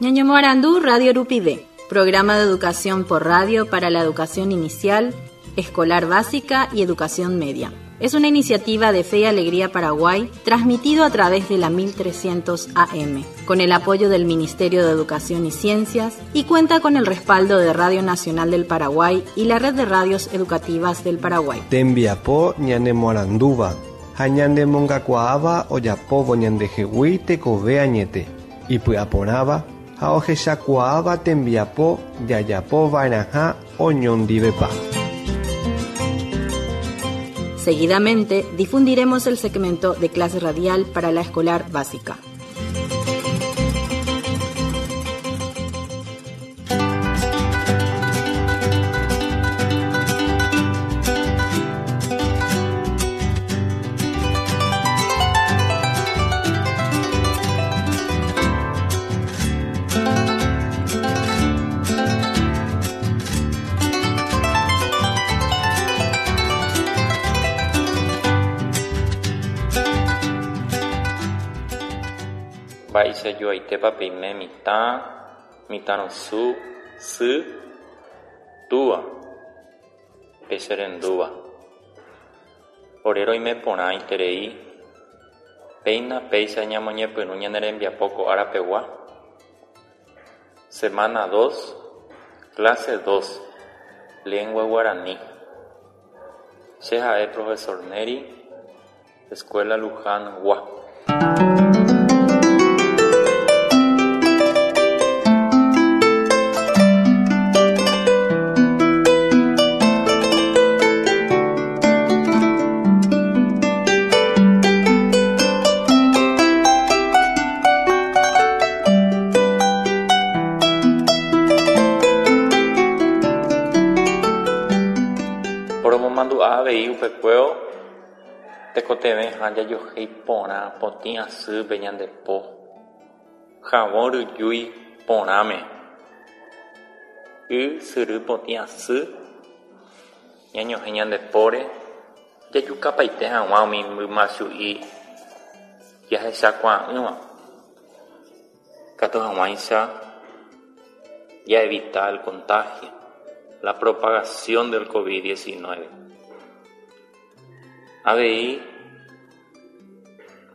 Ñañomoarandu Radio Rupive, programa de educación por radio para la educación inicial, escolar básica y educación media. Es una iniciativa de Fe y Alegría Paraguay, transmitido a través de la 1300 AM, con el apoyo del Ministerio de Educación y Ciencias y cuenta con el respaldo de Radio Nacional del Paraguay y la Red de Radios Educativas del Paraguay. Tembiapo ñanemoarandúva ha ñanemongakuaáva ojapóvo ñandehegui tekove añete, ipy'aporãva ha ohechakuaáva tembiapo jajapova'erãha oñondivepa. Seguidamente difundiremos el segmento de clase radial para la escolar básica. Mba'eichajoaitépa peime mitã, mitãrusu, sy, túva, pe che rendúva. Ore roime porã iterei, péina péicha ñamoñepyrũ ñane rembiapo ko ára pegua. Semana dos, clase dos, lengua guarani. Che ha'e profesor Nery, Escuela Luján gua. Poromomandu'a avei upekuévo Tekotevẽha jajohéi porã potĩ asýpe ñande po, havõ ryjúi porãme, y syry potĩ asy ñañohẽ ñande póre jajukapaite hag̃ua umi mymachu'i jahechakuaa'ỹva, katu hag̃uáicha jaevita el contagio, la propagación del covid 19. Avei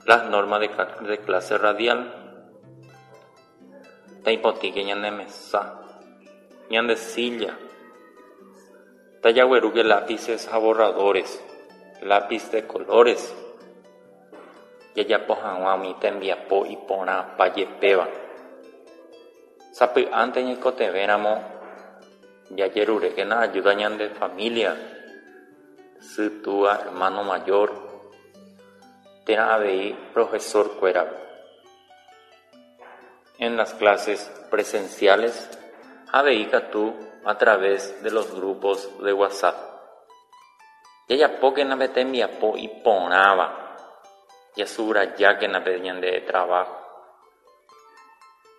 las normas de clase radial, taipotĩke ñane mesa, ñande silla, tajaguerúke lápices ha borradores, lápiz de colores, jajapo hag̃ua umi tembiapo iporãpa jepéva. Sapy'ánte ñaikotevẽramo jajerurékena ayuda ñande familia. Sy, túa, hermano mayor térã avei profesor-kuérape. En las clases presenciales avei katu a través de los grupos de WhatsApp. Jajapókena pe tembiapo iporãva, jasubrajákena pe ñande trabajo.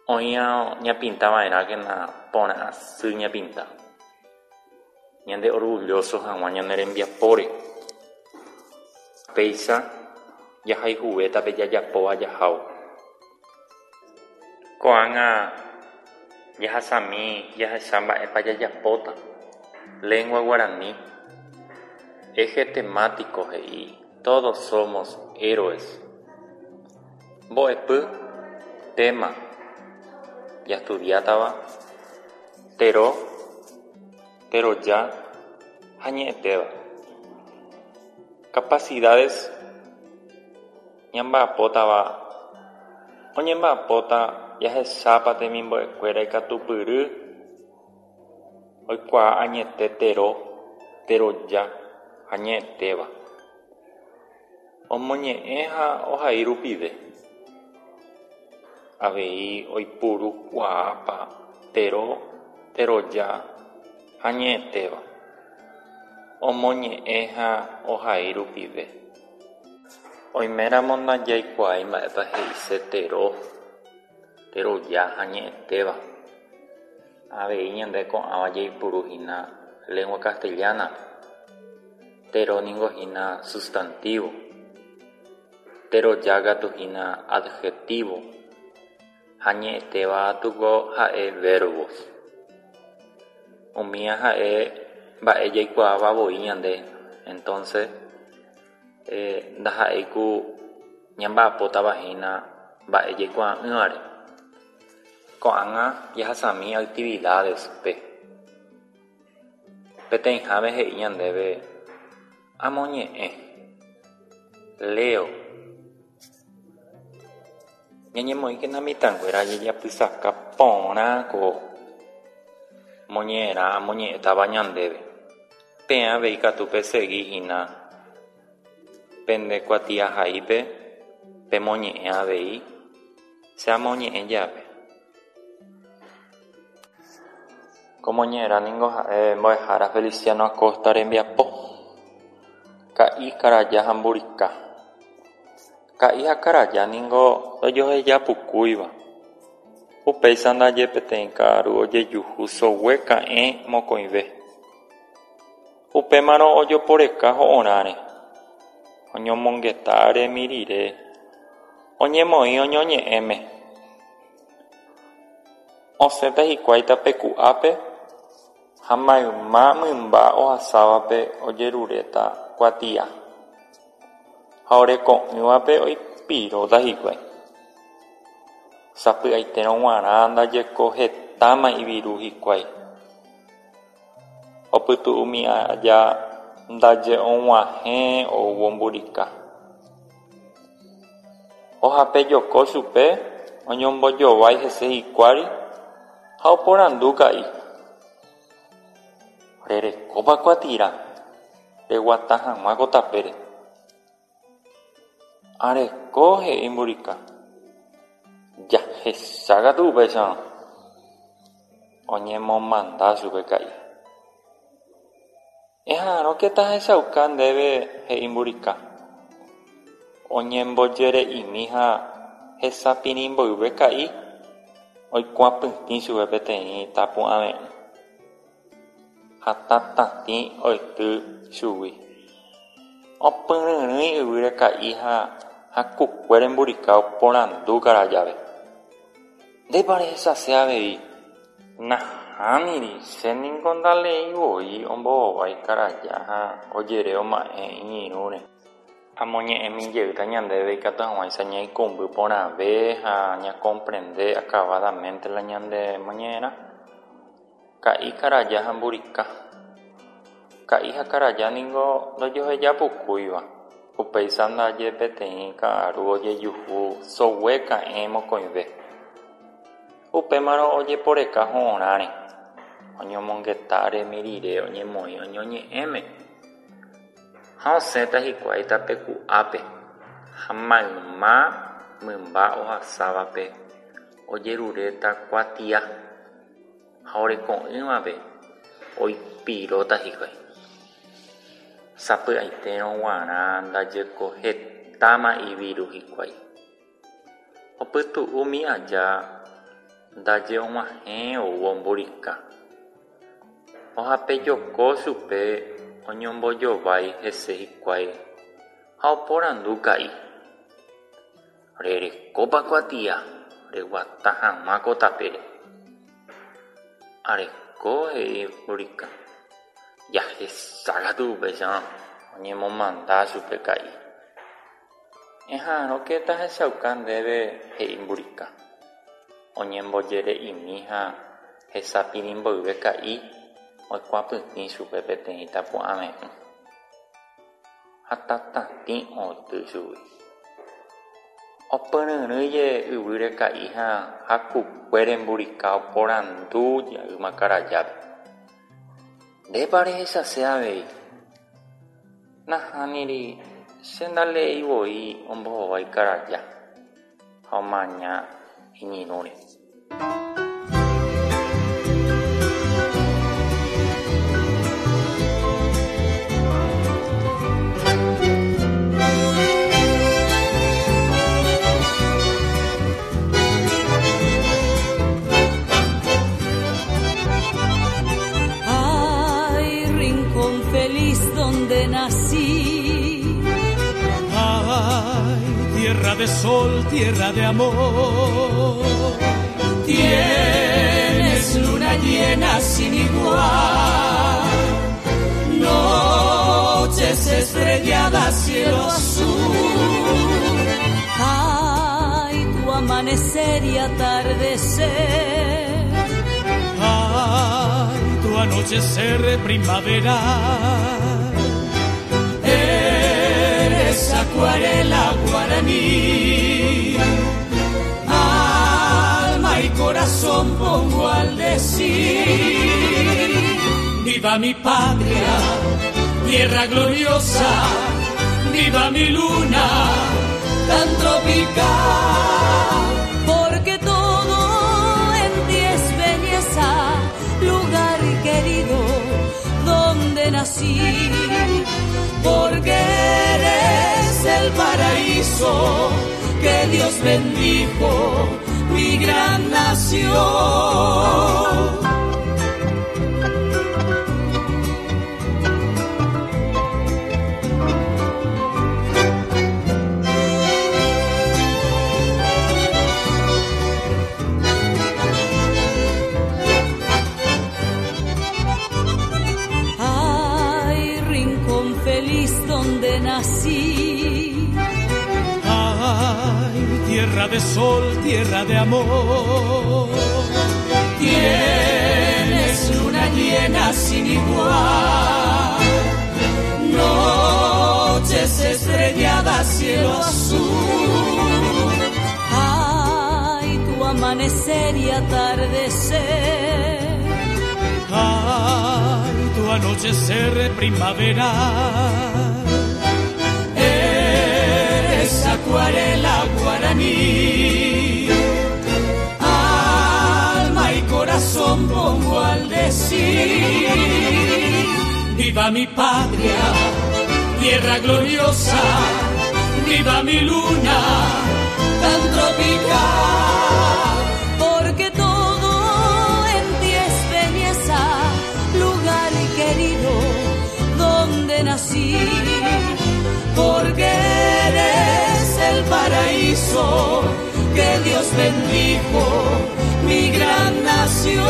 Oĩrõ ñapinta va'erãkena porã asy ñapinta. Ñande orgulloso hag̃ua ñane rembiapóre. Péicha jahayhuvéta pe jajapóva jahávo. Ko'ág̃a jahasami jahecha mba'épa jajapóta. Lengua guarani. Eje temático he'i Todos somos héroes. Mbo'epy, tema, jastudiátava, tero, teroja ha ñe'ẽtéva. Capacidades ñamba'apótava oñemba'apóta jahechápa temimbo'ekuéra ikatupyry oikuaa añete tero, teroja ha ñe'ẽtéva. Omoñe'ẽ ha ohai rupive. Avei oipuru kuaápa tero, teroja ha ñe'ẽtéva. Omoñe'ẽ ha ohai rupive. Oiméramo ndajaikuaái mba'épa he'ise tero, teroja ha ñe'ẽtéva. Avei ñande ko'ãva jaipuru hína lengua castellana-pe. Tero ningo hína sustantivo. Teroja katu hína adjetivo. Ha ñe'ẽtéva katu ha'e verbos. Umíva ha'e mba'e jaikuaáva voi ñande. Entonces ndaha'éi ku ñamba'apótava hína mba'e jaikuaa'ỹvare. Ko'ág̃a jahasami actividades-pe. Peteĩháme he'i ñandéve amoñe'ẽ. Leo. Ñañemoĩkena mitãnguéra jajapysaka porã ko moñe'ẽrã amoñe'ẽtava ñandéve. Peẽ avei katu pesegihína pende kuatiahaípe pemoñe'ẽ avei che amoñe'ẽ jave. Ko moñe'ẽrã ningo ha'e mbo'ehára Feliciano Acosta rembiapo. Ka'i, karaja ha mburika. Ka'i ha karaja ningo ndojohejapukúiva. Upéicha ndaje peteĩ ka'aru ojejuhu sogue ka'ẽ mokõive. Upémarõ ojoporeka ho'orãre. Oñomongeta aremi rire oñemoĩ oñoñe'ẽme. Osẽta hikuái tapeku'ápe ha mayma mymba ohasávape ojeruréta kuatia ha oreko'ỹvape oipiróta hikuái. Sapy'aitérõ g̃uarã ndajeko hetáma iviru hikuái. Opytu'umi aja ndaje og̃uahẽ oúvo mburika. Ohapejoko chupe, oñombojovái hese hikuái ha oporandu Ka'i. Rerekópa kuatia reguata hag̃ua ko tapére. Areko, he'i mburika. Jahechákatu upéicharõ. Oñemomanda chupe Ka'i. Eha'arõke tahechauka ndéve, he'i mburika. Oñembojere'imi ha hesapirĩ mboyve Ka'i oikuapytĩ chupe peteĩ tapu'ãve'ỹ ha tatatĩ oity chugui. Opyryrỹi yvýre Ka'i ha hakukuére mburika oporandu karajápe. Ndépa rehechase avei. Nahániri, chéniko ndaleeivoi ombohovái karaja ha ojere oma'ẽ iñirũre. Amoñe'ẽmi jeýta ñandéve ikatu hag̃uáicha ñaikũmby porãve ha ñacomprende acabadamente la ñande moñe'ẽrã. Ka'i, karaja ha mburika. Ka'i ha karaja ningo ndojohejapukúiva. Upéicha ndaje peteĩ ka'aru ojejuhu sogue ka'ẽ mokõive. Upémarõ ojeporeka ho'orãre. Oñomongeta aremi rire oñemoĩ oñoñe'ẽme. Ha osẽta hikuái tapeku'ápe ha mayma mymba ohasávape ojeruréta kuatia ha oreko'ỹvape oipiróta hikuái. Sapy'aitérõ g̃uarã ndajeko hetáma iviru hikuái. Opytu'umi aja ndaje og̃uahẽ oúvo mburika. Ohapejoko chupe oñombojovái hese hikuái ha oporandu Ka'i. Rerekópa kuatia reguata hag̃ua ko tapére. Areko, he'i mburika. Jahechákatu upéicharõ oñemomanda chupe Ka'i. Eha'arõke tahechauka ndéve, he'i mburika. Oñembojere'imi ha hesapirĩ mboyve Ka'i oikuapytĩ chupe peteĩ tapu'ãve'ỹ ha tatatĩ oity chugui. Opyryrỹi yvýre Ka'i ha hakukuére mburika oporandu jeýma karajápe. Ndépa rehechase avei. Nahániri, che ndaleeivoi ombohovái karaja ha omaña iñirũre. Ay, rincón feliz donde nací. Ay, tierra de sol, tierra de amor. Tienes luna llena sin igual, noches estrelladas, cielo azul. Ay, tu amanecer y atardecer. Ay, tu anochecer primavera. Eres acuarela guaraní, alma y corazón pongo al decir: viva mi patria, tierra gloriosa, viva mi luna tan tropical. Porque todo en ti es belleza, lugar querido donde nací. Porque eres el paraíso que Dios bendijo, mi gran nación. Ay, rincón feliz donde nací. Ay, tierra de sol, tierra de amor. Tienes luna llena sin igual, noches estrelladas, cielo azul. Ay, tu amanecer y atardecer. Ay, tu anochecer primavera. Eres acuarela guaraní, alma y corazón pongo al decir: viva mi patria, tierra gloriosa, viva mi luna tan tropical. Porque todo en ti es belleza, lugar querido donde nací. Porque eres el paraíso que Dios bendijo, mi gran nación.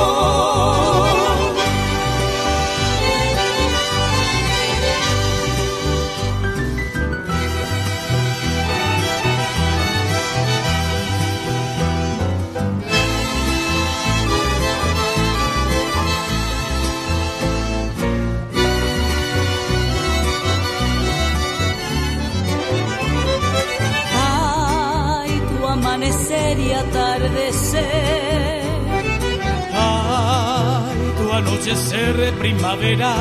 Ay, tu amanecer y atardecer. Ay, tu anochecer primavera.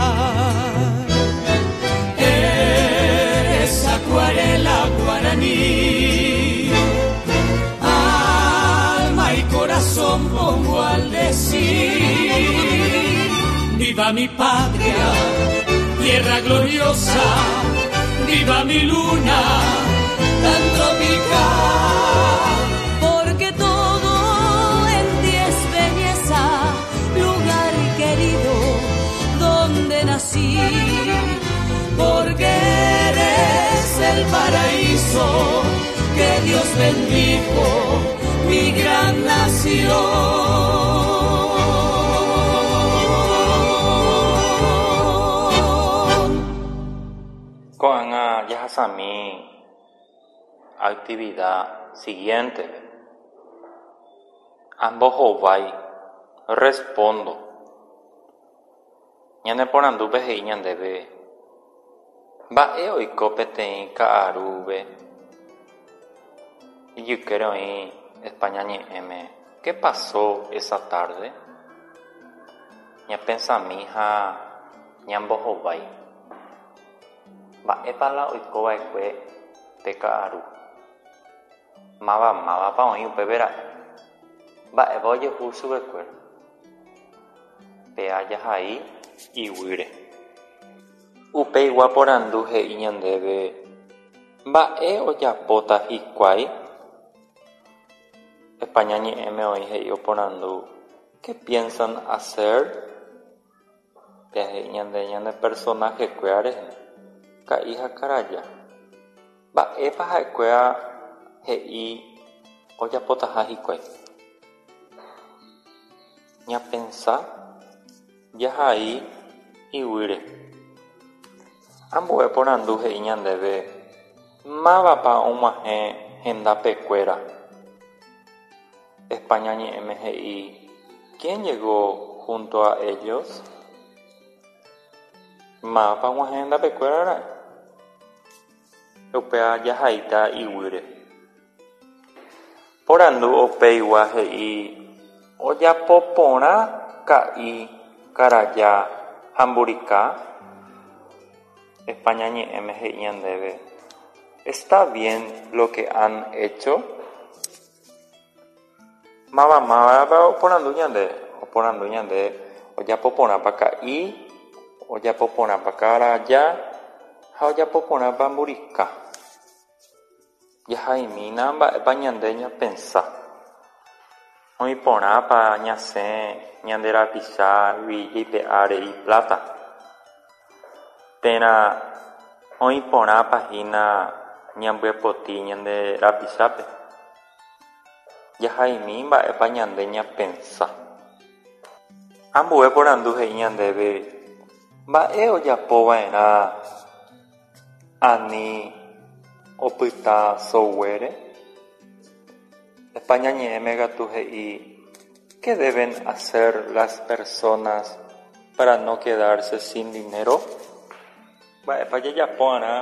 Eres acuarela guaraní, alma y corazón pongo al decir: viva mi patria, tierra gloriosa, viva mi luna tan tropical. Porque todo en ti es belleza, lugar querido donde nací. Porque eres el paraíso que Dios bendijo, mi gran nación. Ko'ág̃a jahasami actividad siguiente. Ambohovái, respondo. Ñaneporandúpe he'i ñandéve mba'e oiko peteĩ ka'arúve ijykére oĩ España ñe'ẽme. ¿Qué pasó esa tarde? Ñapensami ha ñambohovái. Mba'épa la oikova'ekue pe ka'aru? Máva mávapa oĩ upépe ra'e? Mba'épa ojehu chupekuéra? Péa jahai iguýre. Upeigua porandu he'i ñandéve mba'e ojapóta hikuái? España ñe'ẽme oĩ he'i oporandu ¿qué piensan hacer? Péa he'i ñande ñane personaje-kuéra rehe, ka'i ha karaja. Mba'épa ha'ekuéra he'i ojapotaha hikuái? Ñapensa jahai iguýre. Ambue porandu he'i ñandéve mávapa og̃uahẽ hendapekuéra. España ñe'ẽme he'i ¿Quién llegó junto a ellos? Mávapa og̃uahẽ hendapekuéra ra'e. Upéva jahaíta iguýre. Porandu upeigua he'i ojapoporã ka'i karaja ha mburika. España ñe'ẽme he'i ñandéve ¿Está bien lo que han hecho? Mavamávapa oporandu ñande? Oporandu ñande ojapoporãpa ka'i, ojapoporãpa karaja ha ojapoporãpa mburika. Jahaimína mba'épa ñande ñapensa. Oĩporãpa ñasẽ ñande rapichágui jaipe'a rei plata. Térã oĩporãpa hína ñambyepoti ñande rapichápe. Jahaimi mba'épa ñande ñapensa. Ambue porandu he'i ñandéve mba'e ojapova'erã ani opyta soguére. España ñe'ẽme katu he'i ¿Qué deben hacer las personas para no quedarse sin dinero? Mba'épa jajapova'erã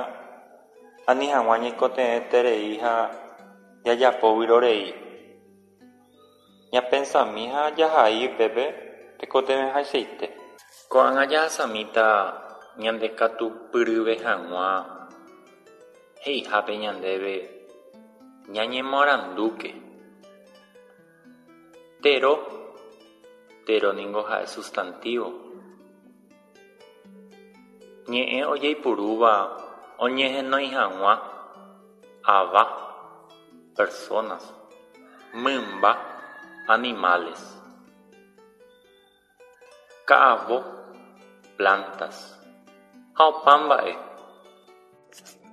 ani hag̃ua ñaikotevẽterei ha jajapo vyrorei. Ñapensami ha jahai upépe tekotevẽhaichaite. Ko'ág̃a jahasamíta ñandekatupyryve hag̃ua he'ihápe ñandéve ñañemoarandúke. Tero, tero ningo ha'e sustantivo. Ñe'ẽ ojeipurúva oñehenói hag̃ua ava, personas, mymba, animales. Ka'avo, plantas. Ha opa mba'e.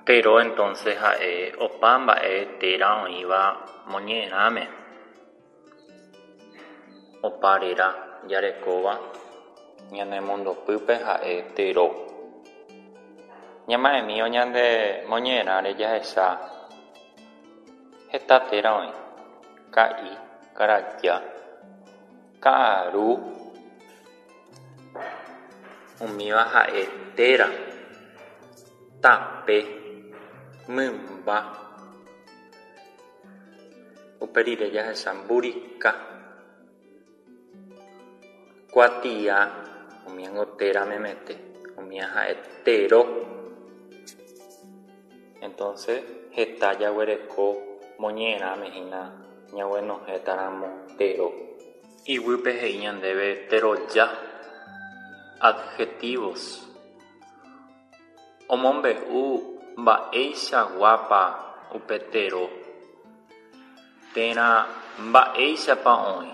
Tero entonces ha'e opa mba'e téra oĩva moñe'ẽrãme. Opa réra jarekóva ñanemondopýpe ha'e tero. Ñama'ẽmi ñande moñe'ẽrãre jahecha heta téra oĩ. Ka'i, karaja, ka'aru, umíva ha'e téra, tape, mymba. Upe rire jahecha mburika, kuatia, umíango téra memete, umíva ha'e tero. Entonces heta jaguereko moñe'ẽrãme hína ñaguenohẽtaramo tero. Iguýpe he'i ñandéve teroja, adjetivos. Omombe'u mba'eichaguápa upe tero térã mba'éichapa oĩ.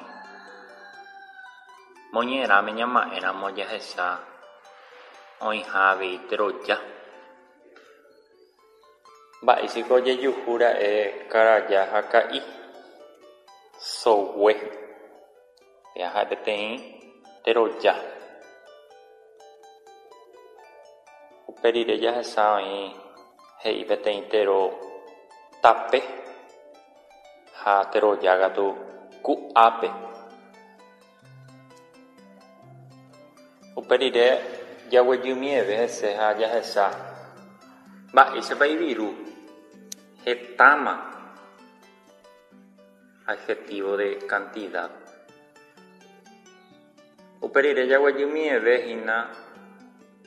Moñe'ẽrãme ñama'ẽramo jahecha oĩha avei teroja. Mba'éichiko ojejuhúra'e karaja ha ka'i. Sogue. Péa ha'e peteĩ teroja. Upe rire jahecha oĩ he'i peteĩ tero tape ha teroja katu ku'ápe. Upe rire jaguejymieve hese ha jahecha mba'éichapa iviru hetáma adjetivo de cantidad. Upe rire jaguejymieve hína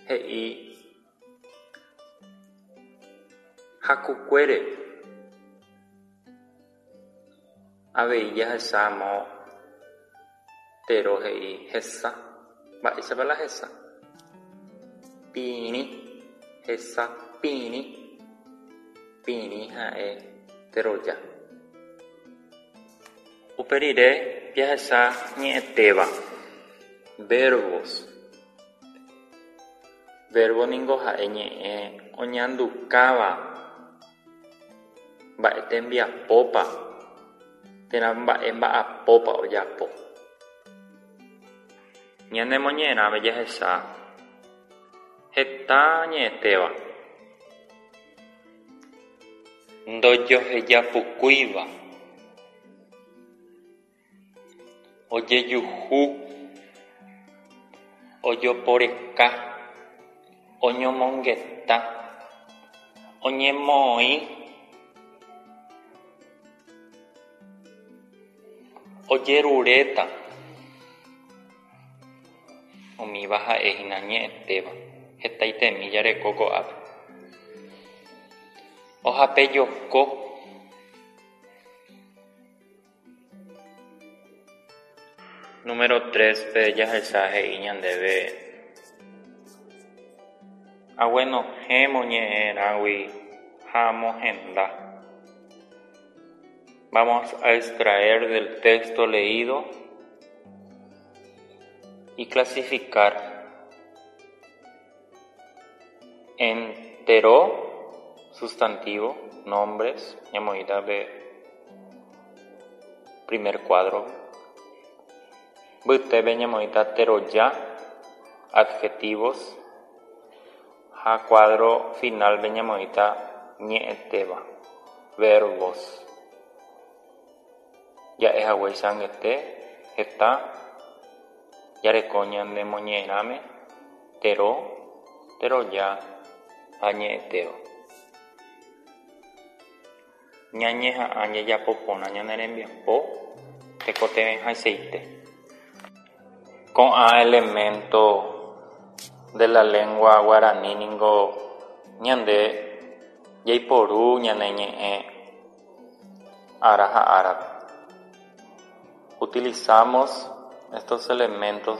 he'i hakukuére. Avei jahechámo tero he'i hesa. Mba'éichapa la hesa? Pirĩ, hesa pirĩ. Pirĩ ha'e teroja. Upe rire jahecha ñe'ẽtéva. Verbos. Verbo ningo ha'e ñe'ẽ oñandukáva mba'e tembiapópa térã mba'e mba'apópa ojapo. Ñane moñe'ẽrãme jahecha heta ñe'ẽtéva. Ndojohejapukúiva. Ojejuhu, ojoporeka, oñomongeta, oñemoĩ, ojeruréta. Umíva ha'ehína ñe'ẽtéva hetaitemi jareko ko'ápe. Ohapejoko. Número 3-pe jahecha he'i ñandéve aguenohẽ moñe'ẽrãgui ha amohenda. Vamos a extraer del texto leído y clasificar en tero, sustantivo, nombres, ñamoĩta pe primer cuadro. Mbytépe ñamoĩta teroja, adjetivos, ha cuadro final-pe ñamoĩta ñe'ẽtéva, verbos. Ja'ehaguéicha angete heta jareko ñande moñe'ẽrãme tero, teroja ha ñe'ẽtéva. Ñañeha'ã jajapo porã ñane rembiapo tekotevẽhaichaite. Ko'ã elemento de la lengua guarani ningo ñande jaiporu ñane ñe'ẽ ára ha árape. Utilizamos estos elementos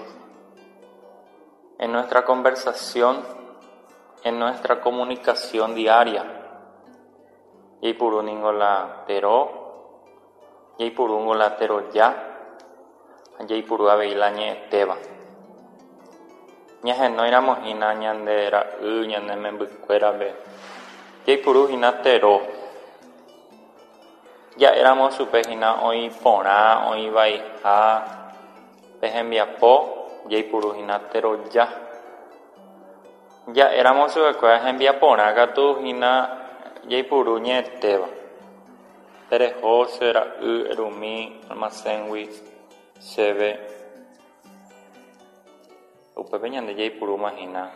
en nuestra conversación, en nuestra comunicación diaria. Jaipuru ningo la tero, jaipurúngo la teroja ha jaipuru avei la ñe'ẽtéva. Ñahenóiramo hína ñande ra'y, ñane membykuérape, jaipuru hína tero. Ja'éramo chupe hína oĩ porã, oĩ vaiha pe hembiapo, jaipuru hína teroja. Ja'éramo chupekuéra hembiaporã katu hína jaipuru ñe'ẽtéva. Tereho che ra'y erumi almacén-gui chéve. Upépe ñande jaipurúma hína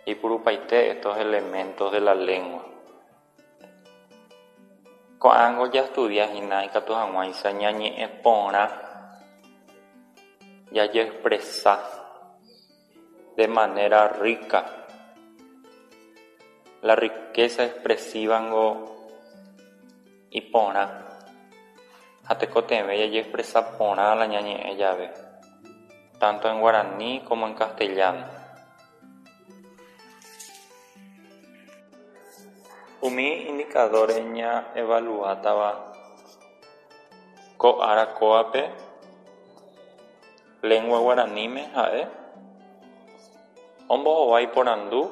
jaipurupaite estos elementos de la lengua. Ko'ág̃a jastudia hína ikatu hag̃uáicha ñañe'ẽ porã jajeexpresa de manera rica. La riqueza expresiva ngo iporã ha tekotevẽ jajeexpresa porã la ñañe'ẽ jave, tanto en guaraní como en castellano. Umi indicadores ñaevaluátava ko ára kóvape lengua guaraníme ha'e ombohovái porandu,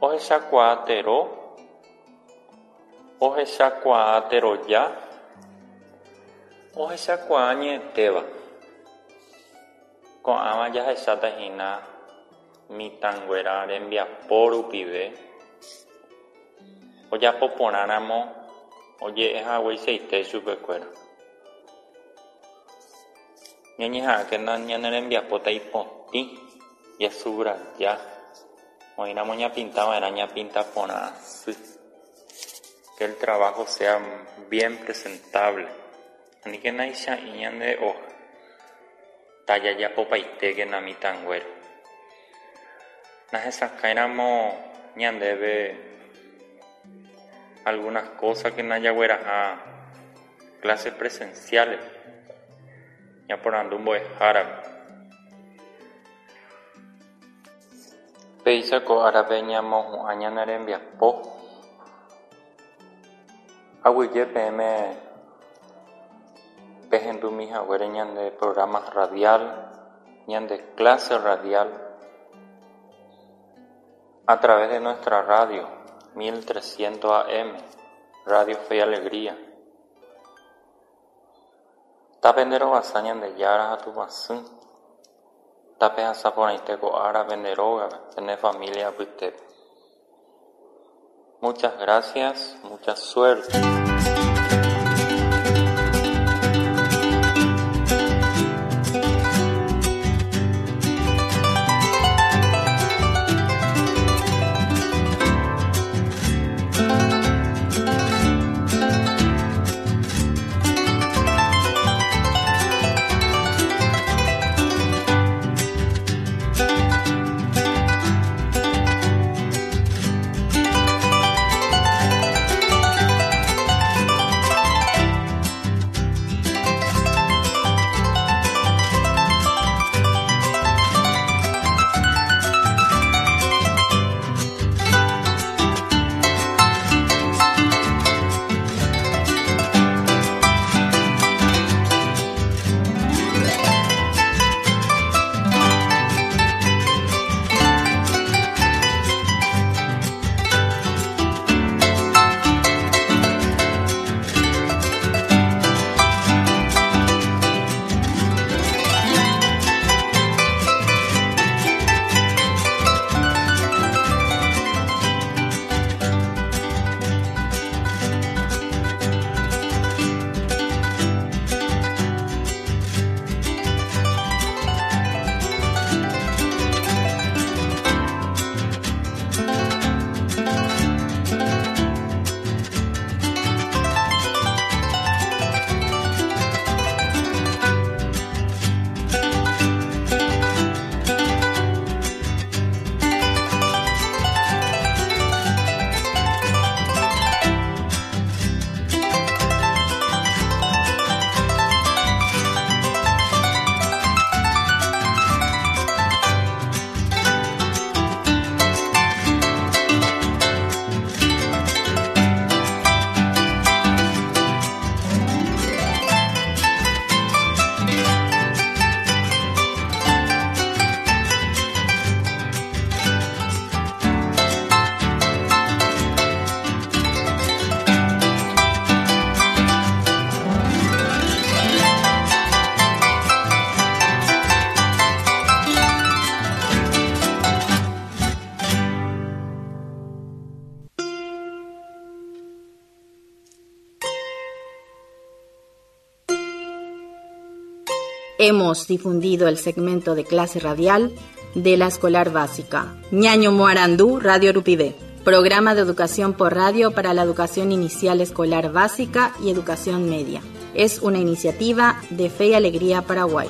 ohechakuaa tero, ohechakuaa teroja, ohechakuaa ñe'ẽtéva. Ko'ãva jahecháta hína mitãnguéra rembiapo rupive ojapo porãramo oje'ehagueichaite chupekuéra. Ñañeha'ãkena ñane rembiapóta ipotĩ jasubraja oĩramo ñapintava'erã ñapinta porã asy. Que el trabajo sea bien presentable. Aníkena icha'ĩ ñande hoja. Tajajapopaitékena mitãnguéra. Nahesakãiramo ñandéve algunas cosas que jagueraha clases presenciales. Ñaporandu mbo'ehárape. Péicha ko árape ñamohu'ã ñane rembiapo. Aguyje peẽme pehendumi haguére ñande programa radial, ñande clase radial a través de nuestra radio 1300 AM, Radio Fe y Alegría. Tapenderovasa Ñandejára ha Tupãsy. Tapehasa porãite ko ára pende rógape, pene familia apytépe. Muchas gracias, mucha suerte. Hemos difundido el segmento de clase radial de la escolar básica. Ñaño Moarandú, Radio Rupivé. Programa de educación por radio para la educación inicial escolar básica y educación media. Es una iniciativa de Fe y Alegría Paraguay.